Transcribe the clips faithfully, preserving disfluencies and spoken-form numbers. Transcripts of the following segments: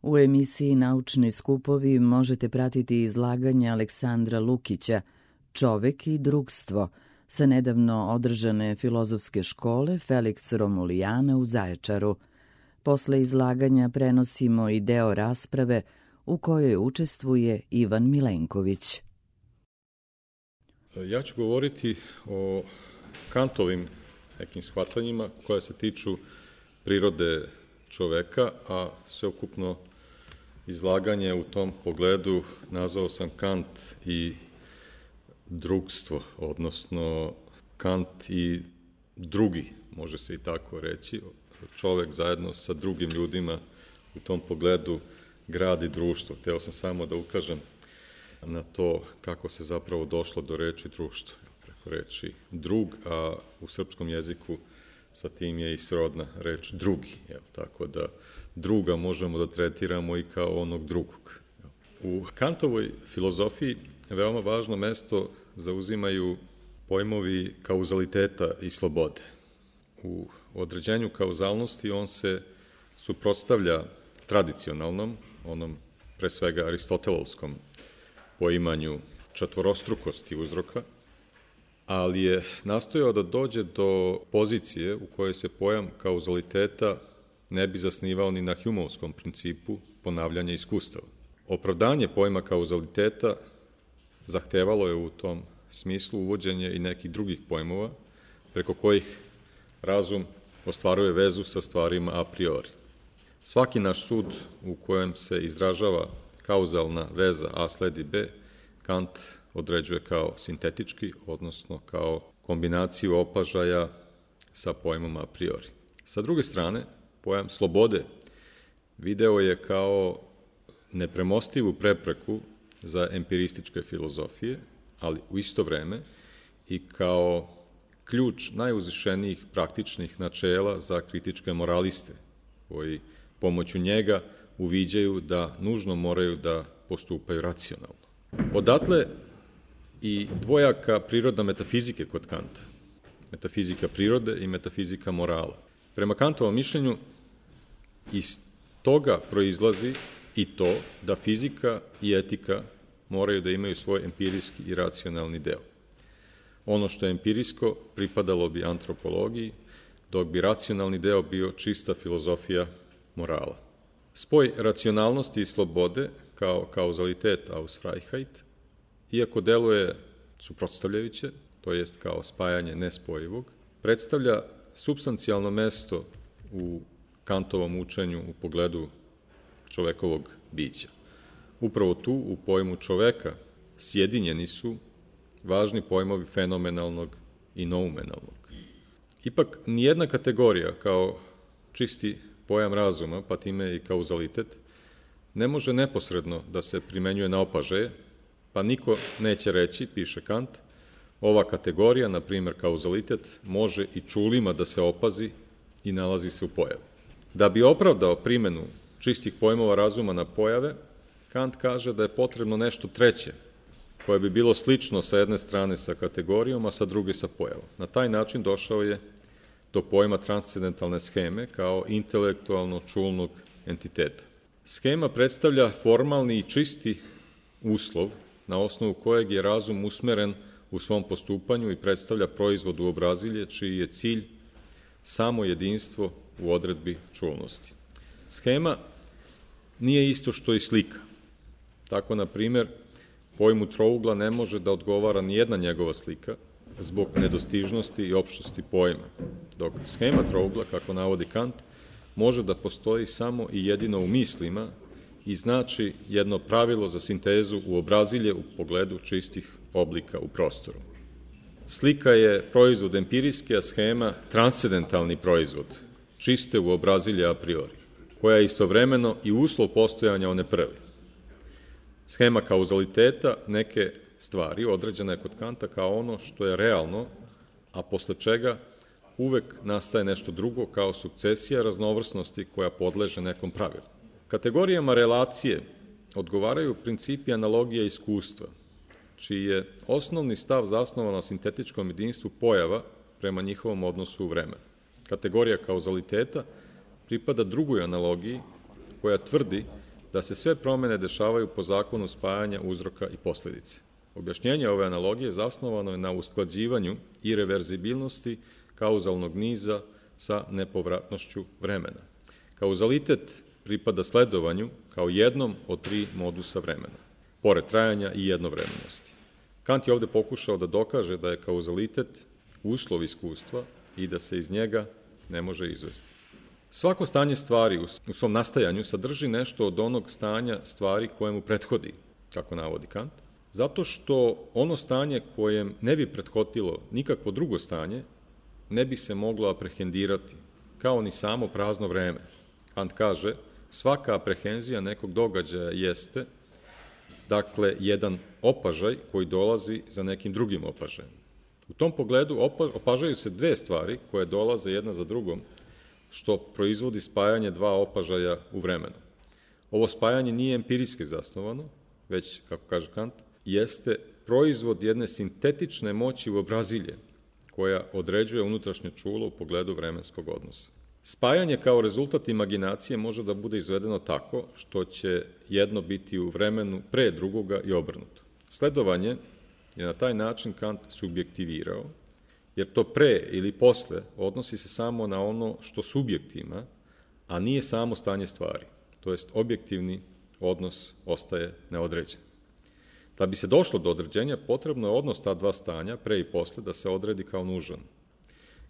U emisiji Naučni skupovi možete pratiti izlaganje Aleksandra Lukića Čovek i drugstvo sa nedavno održane filozofske škole Felix Romulijana u Zaječaru. Posle izlaganja prenosimo i deo rasprave u kojoj učestvuje Ivan Milenković. Ja ću govoriti o Kantovim nekim shvatanjima koja se tiču prirode čoveka, a sveukupno izlaganje u tom pogledu nazvao sam Kant i drugstvo, odnosno Kant i drugi, može se i tako reći. Čovek zajedno sa drugim ljudima u tom pogledu gradi društvo. Hteo sam samo da ukažem na to kako se zapravo došlo do reči društvo, preko reči drug, a u srpskom jeziku sa tim je i srodna reč drugi. Jel? Tako da druga možemo da tretiramo i kao onog drugog. U Kantovoj filozofiji veoma važno mesto zauzimaju pojmovi kauzaliteta i slobode. U određenju kauzalnosti on se suprotstavlja tradicionalnom, onom pre svega aristotelovskom poimanju četvorostrukosti uzroka, ali je nastojao da dođe do pozicije u kojoj se pojam kauzaliteta ne bi zasnivao ni na Humeovskom principu ponavljanja iskustava. Opravdanje pojma kauzaliteta zahtevalo je u tom smislu uvođenje i nekih drugih pojmova preko kojih razum ostvaruje vezu sa stvarima a priori. Svaki naš sud u kojem se izražava kauzalna veza A sledi B, Kant određuje kao sintetički, odnosno kao kombinaciju opažaja sa pojmom a priori. Sa druge strane, pojam slobode video je kao nepremostivu prepreku za empirističke filozofije, ali u isto vreme i kao ključ najuzvišenijih praktičnih načela za kritičke moraliste, koji pomoću njega uviđaju da nužno moraju da postupaju racionalno. Odatle i dvojaka prirodna metafizike kod Kanta, metafizika prirode i metafizika morala. Prema Kantovom mišljenju, iz toga proizlazi i to da fizika i etika moraju da imaju svoj empirijski i racionalni deo. Ono što je empirijsko pripadalo bi antropologiji, dok bi racionalni deo bio čista filozofija morala. Spoj racionalnosti i slobode kao kauzalitet aus Freiheit, iako deluje suprotstavljajuće, to jest kao spajanje nespojivog, predstavlja supstancijalno mesto u Kantovom učenju u pogledu čovekovog bića. Upravo tu, u pojmu čoveka, sjedinjeni su važni pojmovi fenomenalnog i noumenalnog. Ipak, nijedna kategorija kao čisti pojam razuma, pa time i kauzalitet, ne može neposredno da se primenjuje na opažaje, pa niko neće reći, piše Kant, ova kategorija, na primer kauzalitet, može i čulima da se opazi i nalazi se u pojavi. Da bi opravdao primenu čistih pojmova razuma na pojave, Kant kaže da je potrebno nešto treće, koje bi bilo slično sa jedne strane sa kategorijom, a sa druge sa pojavom. Na taj način došao je do pojma transcendentalne scheme kao intelektualno čulnog entiteta. Schema predstavlja formalni i čisti uslov na osnovu kojeg je razum usmeren u svom postupanju i predstavlja proizvod u obrazilje čiji je cilj samo jedinstvo u odredbi čulnosti. Schema nije isto što i slika. Tako, na primjer, pojmu trougla ne može da odgovara ni jedna njegova slika zbog nedostižnosti i opštosti pojma, dok schema trougla, kako navodi Kant, može da postoji samo i jedino u mislima i znači jedno pravilo za sintezu u obrazilje u pogledu čistih oblika u prostoru. Slika je proizvod empirijski, a schema transcendentalni proizvod, čiste u obrazilje a priori, koja je istovremeno i uslov postojanja one prve. Schema kauzaliteta neke stvari određena je kod Kanta kao ono što je realno, a posle čega uvek nastaje nešto drugo kao sukcesija raznovrsnosti koja podleže nekom pravilu. Kategorijama relacije odgovaraju principi analogije iskustva, čiji je osnovni stav zasnovan na sintetičkom jedinstvu pojava prema njihovom odnosu u vremenu. Kategorija kauzaliteta pripada drugoj analogiji koja tvrdi da se sve promene dešavaju po zakonu spajanja uzroka i posledice. Objašnjenje ove analogije zasnovano je na usklađivanju i reverzibilnosti kauzalnog niza sa nepovratnošću vremena. Kauzalitet pripada sledovanju kao jednom od tri modusa vremena, pored trajanja i jednovremenosti. Kant je ovde pokušao da dokaže da je kauzalitet uslov iskustva i da se iz njega ne može izvesti. Svako stanje stvari u svom nastajanju sadrži nešto od onog stanja stvari kojemu prethodi, kako navodi Kant, zato što ono stanje kojem ne bi prethodilo nikakvo drugo stanje ne bi se moglo aprehendirati, kao ni samo prazno vreme. Kant kaže, svaka aprehenzija nekog događaja jeste, dakle, jedan opažaj koji dolazi za nekim drugim opažajem. U tom pogledu opažaju se dve stvari koje dolaze jedna za drugom, što proizvodi spajanje dva opažaja u vremenu. Ovo spajanje nije empirijski zasnovano, već, kako kaže Kant, jeste proizvod jedne sintetične moći uobrazilje, koja određuje unutrašnje čulo u pogledu vremenskog odnosa. Spajanje kao rezultat imaginacije može da bude izvedeno tako što će jedno biti u vremenu pre drugoga i obrnuto. Sledovanje je na taj način Kant subjektivirao, jer to pre ili posle odnosi se samo na ono što subjekt ima, a nije samo stanje stvari, to jest objektivni odnos ostaje neodređen. Da bi se došlo do određenja, potrebno je odnos ta dva stanja, pre i posle, da se odredi kao nužan.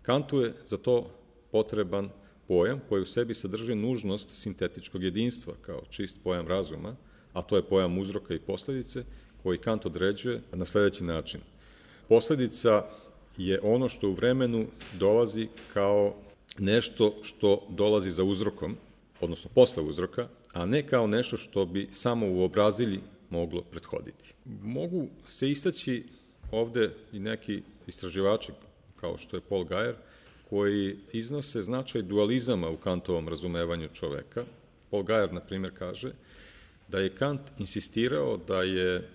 Kantu je za to potreban pojam koji u sebi sadrži nužnost sintetičkog jedinstva kao čist pojam razuma, a to je pojam uzroka i posledice, koji Kant određuje na sledeći način. Posledica je ono što u vremenu dolazi kao nešto što dolazi za uzrokom, odnosno posle uzroka, a ne kao nešto što bi samo u obrazilji moglo prethoditi. Mogu se istaći ovde i neki istraživači, kao što je Paul Guyer, koji iznose značaj dualizama u Kantovom razumevanju čoveka. Paul Guyer, na primjer, kaže da je Kant insistirao da je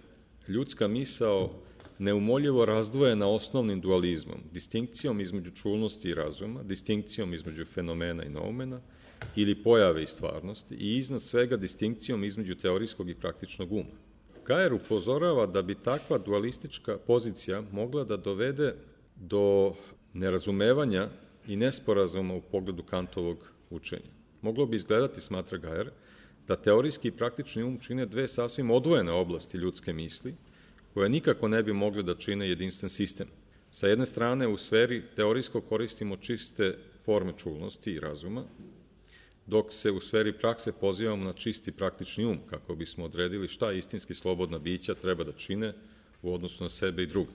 ljudska misao neumoljivo razdvojena osnovnim dualizmom, distinkcijom između čulnosti i razuma, distinkcijom između fenomena i noumena, ili pojave i stvarnosti, i iznad svega distinkcijom između teorijskog i praktičnog uma. Guyer upozorava da bi takva dualistička pozicija mogla da dovede do nerazumevanja i nesporazuma u pogledu Kantovog učenja. Moglo bi izgledati, smatra Guyer, da teorijski i praktični um čine dve sasvim odvojene oblasti ljudske misli, koje nikako ne bi mogle da čine jedinstven sistem. Sa jedne strane, u sferi teorijsko koristimo čiste forme čulnosti i razuma, dok se u sferi prakse pozivamo na čisti praktični um, kako bismo odredili šta istinski slobodna bića treba da čine u odnosu na sebe i druge.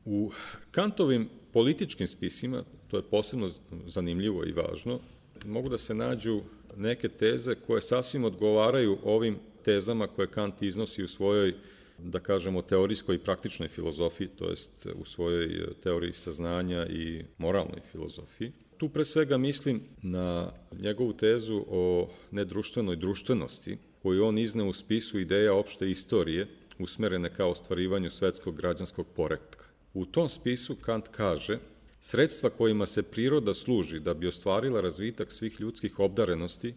U Kantovim političkim spisima, to je posebno zanimljivo i važno, mogu da se nađu neke teze koje sasvim odgovaraju ovim tezama koje Kant iznosi u svojoj, da kažemo, teorijskoj i praktičnoj filozofiji, to jest u svojoj teoriji saznanja i moralnoj filozofiji. Tu pre svega mislim na njegovu tezu o nedruštvenoj društvenosti, koju on izne u spisu ideja opšte istorije, usmerene kao ostvarivanju svetskog građanskog poretka. U tom spisu Kant kaže: sredstva kojima se priroda služi da bi ostvarila razvitak svih ljudskih obdarenosti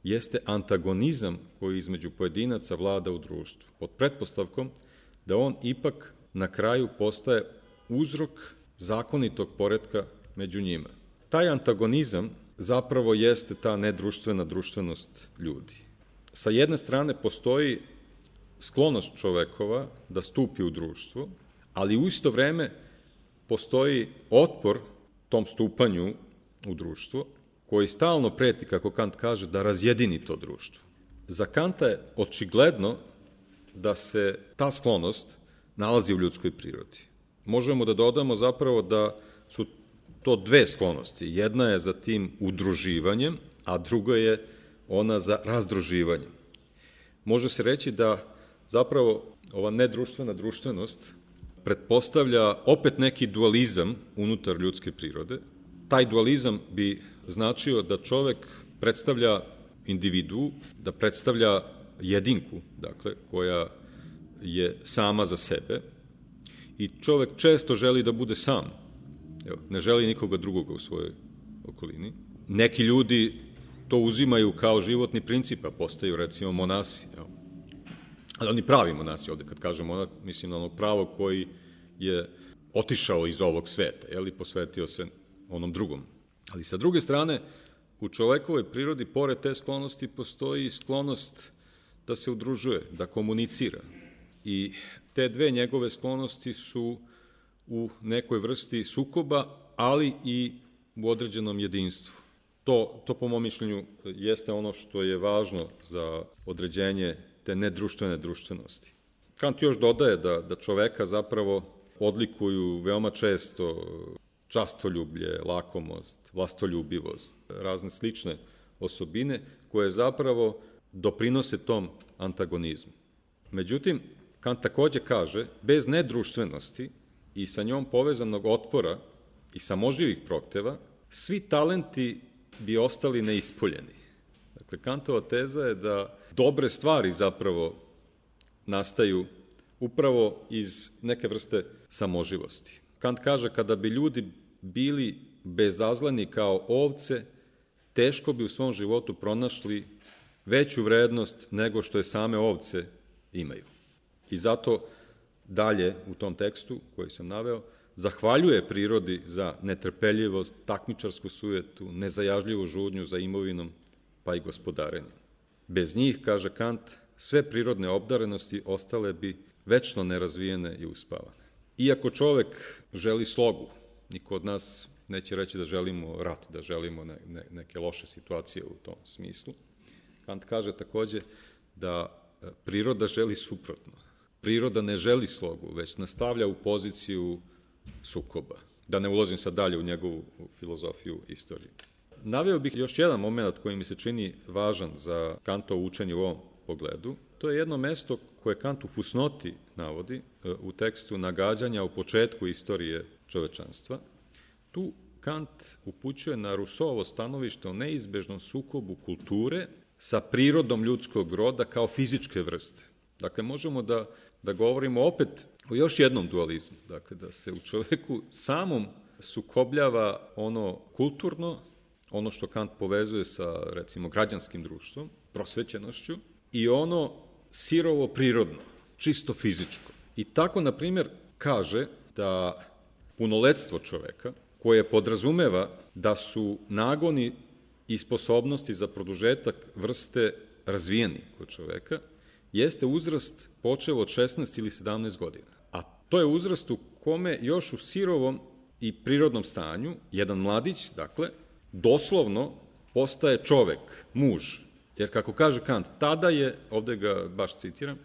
jeste antagonizam koji između pojedinaca vlada u društvu, pod pretpostavkom da on ipak na kraju postaje uzrok zakonitog poretka među njima. Taj antagonizam zapravo jeste ta nedruštvena društvenost ljudi. Sa jedne strane postoji sklonost čovekova da stupi u društvo, ali u isto vreme postoji otpor tom stupanju u društvo, koji stalno preti, kako Kant kaže, da razjedini to društvo. Za Kanta je očigledno da se ta sklonost nalazi u ljudskoj prirodi. Možemo da dodamo zapravo da su to dve sklonosti. Jedna je za tim udruživanjem, a druga je ona za razdruživanjem. Može se reći da zapravo ova nedruštvena društvenost pretpostavlja opet neki dualizam unutar ljudske prirode. Taj dualizam bi značio da čovek predstavlja individu, da predstavlja jedinku, dakle, koja je sama za sebe, i čovek često želi da bude sam. Evo, ne želi nikoga drugoga u svojoj okolini. Neki ljudi to uzimaju kao životni princip, a postaju recimo monasi. Jel? Ali oni pravi monasi, ovde kad kažem monak, mislim na onog pravog koji je otišao iz ovog sveta, jel, i posvetio se onom drugom. Ali sa druge strane, u čovekovoj prirodi, pored te sklonosti, postoji sklonost da se udružuje, da komunicira. I te dve njegove sklonosti su u nekoj vrsti sukoba, ali i u određenom jedinstvu. To, to po mom mišljenju jeste ono što je važno za određenje te nedruštvene društvenosti. Kant još dodaje da, da čoveka zapravo odlikuju veoma često častoljublje, lakomost, vlastoljubivost, razne slične osobine koje zapravo doprinose tom antagonizmu. Međutim, Kant takođe kaže, bez nedruštvenosti i sa njom povezanog otpora i samoživih prohteva, svi talenti bi ostali neispoljeni. Dakle, Kantova teza je da dobre stvari zapravo nastaju upravo iz neke vrste samoživosti. Kant kaže, kada bi ljudi bili bezazleni kao ovce, teško bi u svom životu pronašli veću vrednost nego što je same ovce imaju. I zato dalje u tom tekstu koji sam naveo, zahvaljuje prirodi za netrpeljivost, takmičarsku sujetu, nezajažljivu žudnju za imovinom, pa i gospodarenjem. Bez njih, kaže Kant, sve prirodne obdarenosti ostale bi večno nerazvijene i uspavane. Iako čovek želi slogu, niko od nas neće reći da želimo rat, da želimo ne, ne, neke loše situacije u tom smislu, Kant kaže takođe da priroda želi suprotno. Priroda ne želi slogu, već nastavlja u poziciju sukoba. Da ne ulazim sad dalje u njegovu filozofiju istorije. Naveo bih još jedan moment koji mi se čini važan za Kantovo učenje u ovom pogledu. To je jedno mesto koje Kant u fusnoti navodi u tekstu Nagađanja u početku istorije čovečanstva. Tu Kant upućuje na Rousseauovo stanovište o neizbežnom sukobu kulture sa prirodom ljudskog roda kao fizičke vrste. Dakle, možemo da, da govorimo opet o još jednom dualizmu. Dakle, da se u čoveku samom sukobljava ono kulturno, ono što Kant povezuje sa, recimo, građanskim društvom, prosvećenošću, i ono sirovo prirodno, čisto fizičko. I tako, na primjer, kaže da punoletstvo čoveka, koje podrazumeva da su nagoni i sposobnosti za produžetak vrste razvijeni kod čoveka, jeste uzrast počeo od šesnaest ili sedamnaest godina. A to je uzrast u kome još u sirovom i prirodnom stanju, jedan mladić, dakle, doslovno postaje čovek, muž. Jer kako kaže Kant, tada je, ovde ga baš citiram,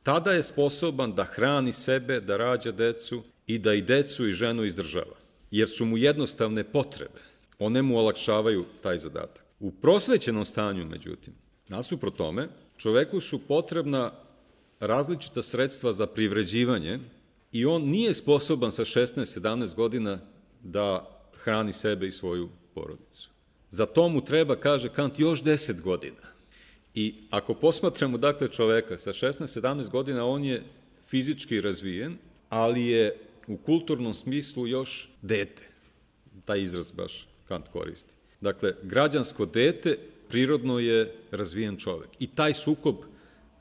tada je sposoban da hrani sebe, da rađa decu i da i decu i ženu izdržava. Jer su mu jednostavne potrebe. One mu olakšavaju taj zadatak. U prosvećenom stanju, međutim, nasuprot tome, čoveku su potrebna različita sredstva za privređivanje i on nije sposoban sa šesnaest sedamnaest godina da hrani sebe i svoju porodicu. Za to mu treba, kaže Kant, još deset godina. I ako posmatramo, dakle, čoveka sa šesnaest sedamnaest godina, on je fizički razvijen, ali je u kulturnom smislu još dete. Taj izraz baš Kant koristi. Dakle, građansko dete prirodno je razvijen čovek. I taj sukob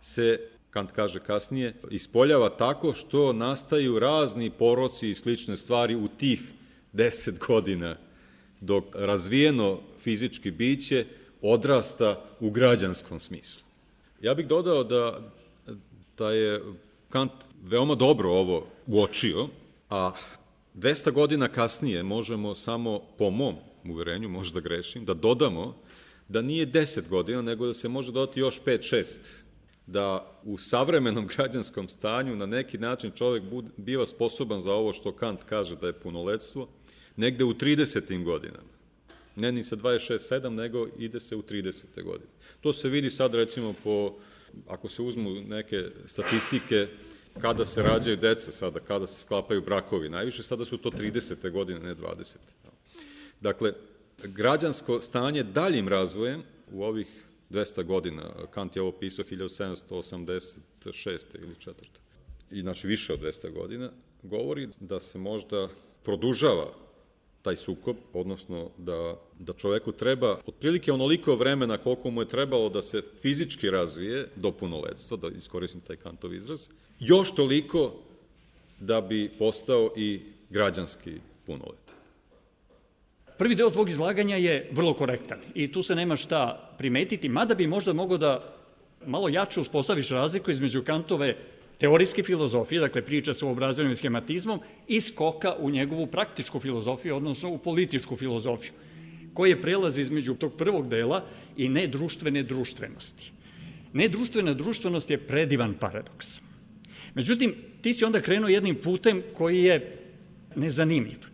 se, Kant kaže kasnije, ispoljava tako što nastaju razni poroci i slične stvari u tih deset godina, dok razvijeno fizički biće odrasta u građanskom smislu. Ja bih dodao da, da je Kant veoma dobro ovo uočio, a dvesta godina kasnije možemo samo po mom uverenju, možda grešim, da dodamo da nije deset godina, nego da se može dodati još pet šest. Da u savremenom građanskom stanju na neki način čovek biva sposoban za ovo što Kant kaže da je punoletstvo, negde u tridesetim godinama. Ne ni sa dvadeset šest sedam, nego ide se u tridesete godine. To se vidi sad recimo po, ako se uzmu neke statistike, kada se rađaju deca sada, kada se sklapaju brakovi. Najviše sada su to tridesete godine, ne dvadesete. Dakle, građansko stanje daljim razvojem u ovih dvesta godina, Kant je ovo pisao hiljadu sedamsto osamdeset šeste ili četvrte, i znači više od dvesta godina, govori da se možda produžava taj sukob, odnosno da, da čoveku treba otprilike onoliko vremena koliko mu je trebalo da se fizički razvije do punoletstva, da iskoristim taj Kantov izraz, još toliko da bi postao i građanski punoletan. Prvi deo tvog izlaganja je vrlo korektan i tu se nema šta primetiti, mada bi možda mogao da malo jače uspostaviš razliku između Kantove teorijske filozofije, dakle priča sa uobrazovenim schematizmom, i skoka u njegovu praktičku filozofiju, odnosno u političku filozofiju, koji je prelaz između tog prvog dela i nedruštvene društvenosti. Nedruštvena društvenost je predivan paradoks. Međutim, ti si onda krenuo jednim putem koji je nezanimljiv.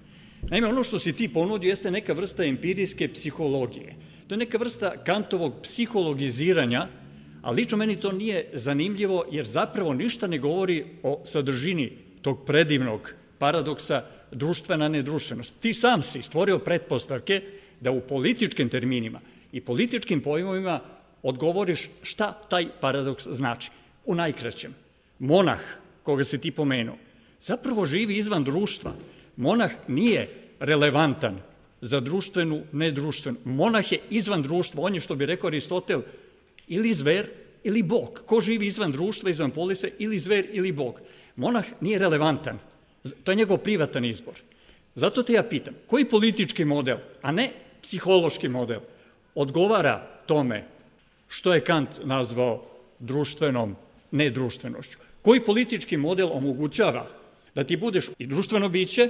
Naime, ono što si ti ponudio jeste neka vrsta empirijske psihologije. To je neka vrsta Kantovog psihologiziranja, a lično meni to nije zanimljivo, jer zapravo ništa ne govori o sadržini tog predivnog paradoksa društvena nedruštvenost. Ti sam si stvorio pretpostavke da u političkim terminima i političkim pojmovima odgovoriš šta taj paradoks znači. U najkraćem, monah, koga si ti pomenuo, zapravo živi izvan društva. Monah nije relevantan za društvenu nedruštvenu. Monah je izvan društva, on je, što bi rekao Aristotel, ili zver ili bog. Ko živi izvan društva, izvan polise, ili zver ili bog. Monah nije relevantan. To je njegov privatan izbor. Zato te ja pitam, koji politički model, a ne psihološki model, odgovara tome što je Kant nazvao društvenom nedruštvenošću? Koji politički model omogućava da ti budeš i društveno biće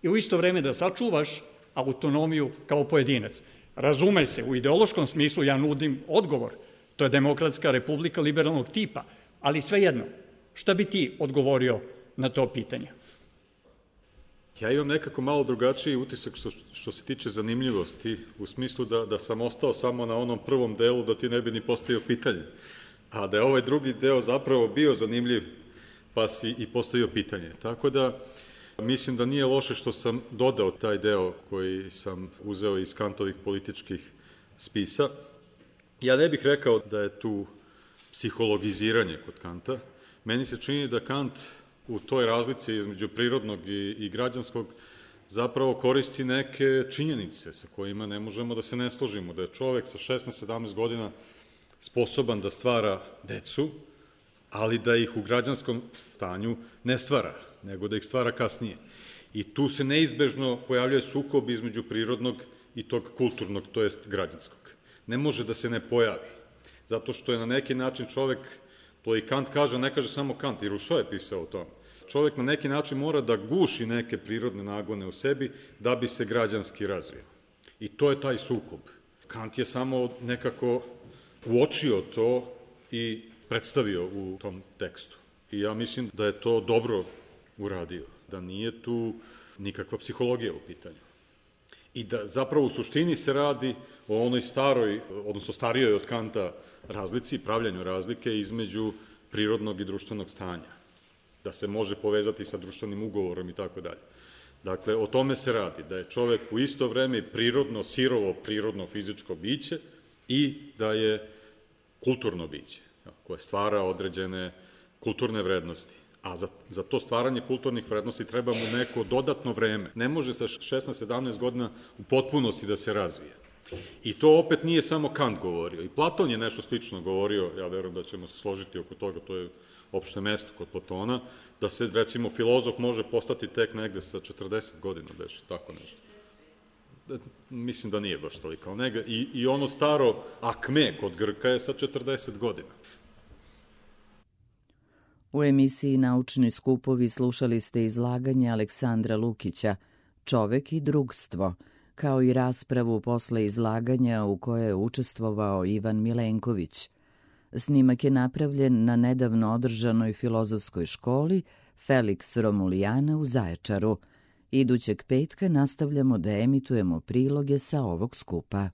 i u isto vreme da sačuvaš autonomiju kao pojedinac? Razume se, u ideološkom smislu ja nudim odgovor. To je demokratska republika liberalnog tipa. Ali svejedno, šta bi ti odgovorio na to pitanje? Ja imam nekako malo drugačiji utisak što, što se tiče zanimljivosti, u smislu da, da sam ostao samo na onom prvom delu, da ti ne bi ni postavio pitanje. A da je ovaj drugi deo zapravo bio zanimljiv, pa si i postavio pitanje. Tako da mislim da nije loše što sam dodao taj deo koji sam uzeo iz Kantovih političkih spisa. Ja ne bih rekao da je tu psihologiziranje kod Kanta. Meni se čini da Kant u toj razlici između prirodnog i, i građanskog zapravo koristi neke činjenice sa kojima ne možemo da se ne složimo. Da je čovek sa šesnaest sedamnaest godina sposoban da stvara decu, ali da ih u građanskom stanju ne stvara, nego da ih stvara kasnije. I tu se neizbežno pojavljuje sukob između prirodnog i tog kulturnog, to jest građanskog. Ne može da se ne pojavi, zato što je na neki način čovek, to i Kant kaže, ne kaže samo Kant, i Rousseau je pisao o tome, čovek na neki način mora da guši neke prirodne nagone u sebi da bi se građanski razvio. I to je taj sukob. Kant je samo nekako uočio to i predstavio u tom tekstu. I ja mislim da je to dobro uradio, da nije tu nikakva psihologija u pitanju. I da zapravo u suštini se radi o onoj staroj, odnosno starijoj od Kanta razlici, pravljanju razlike između prirodnog i društvenog stanja. Da se može povezati sa društvenim ugovorom i tako dalje. Dakle, o tome se radi, da je čovek u isto vreme prirodno, sirovo, prirodno, fizičko biće i da je kulturno biće, koje stvara određene kulturne vrednosti. A za, za to stvaranje kulturnih vrednosti treba mu neko dodatno vreme. Ne može sa šesnaest sedamnaest godina u potpunosti da se razvije. I to opet nije samo Kant govorio. I Platon je nešto slično govorio, ja verujem da ćemo se složiti oko toga, to je opšte mesto kod Platona, da se, recimo, filozof može postati tek negde sa četrdeset godina, beše, tako nešto. Mislim da nije baš toliko. I, I ono staro akme kod Grka je sa četrdeset godina. U emisiji Naučni skupovi slušali ste izlaganje Aleksandra Lukića Čovek i drugstvo, kao i raspravu posle izlaganja u kojoj je učestvovao Ivan Milenković. Snimak je napravljen na nedavno održanoj filozofskoj školi Felix Romulijana u Zaječaru. Idućeg petka nastavljamo da emitujemo priloge sa ovog skupa.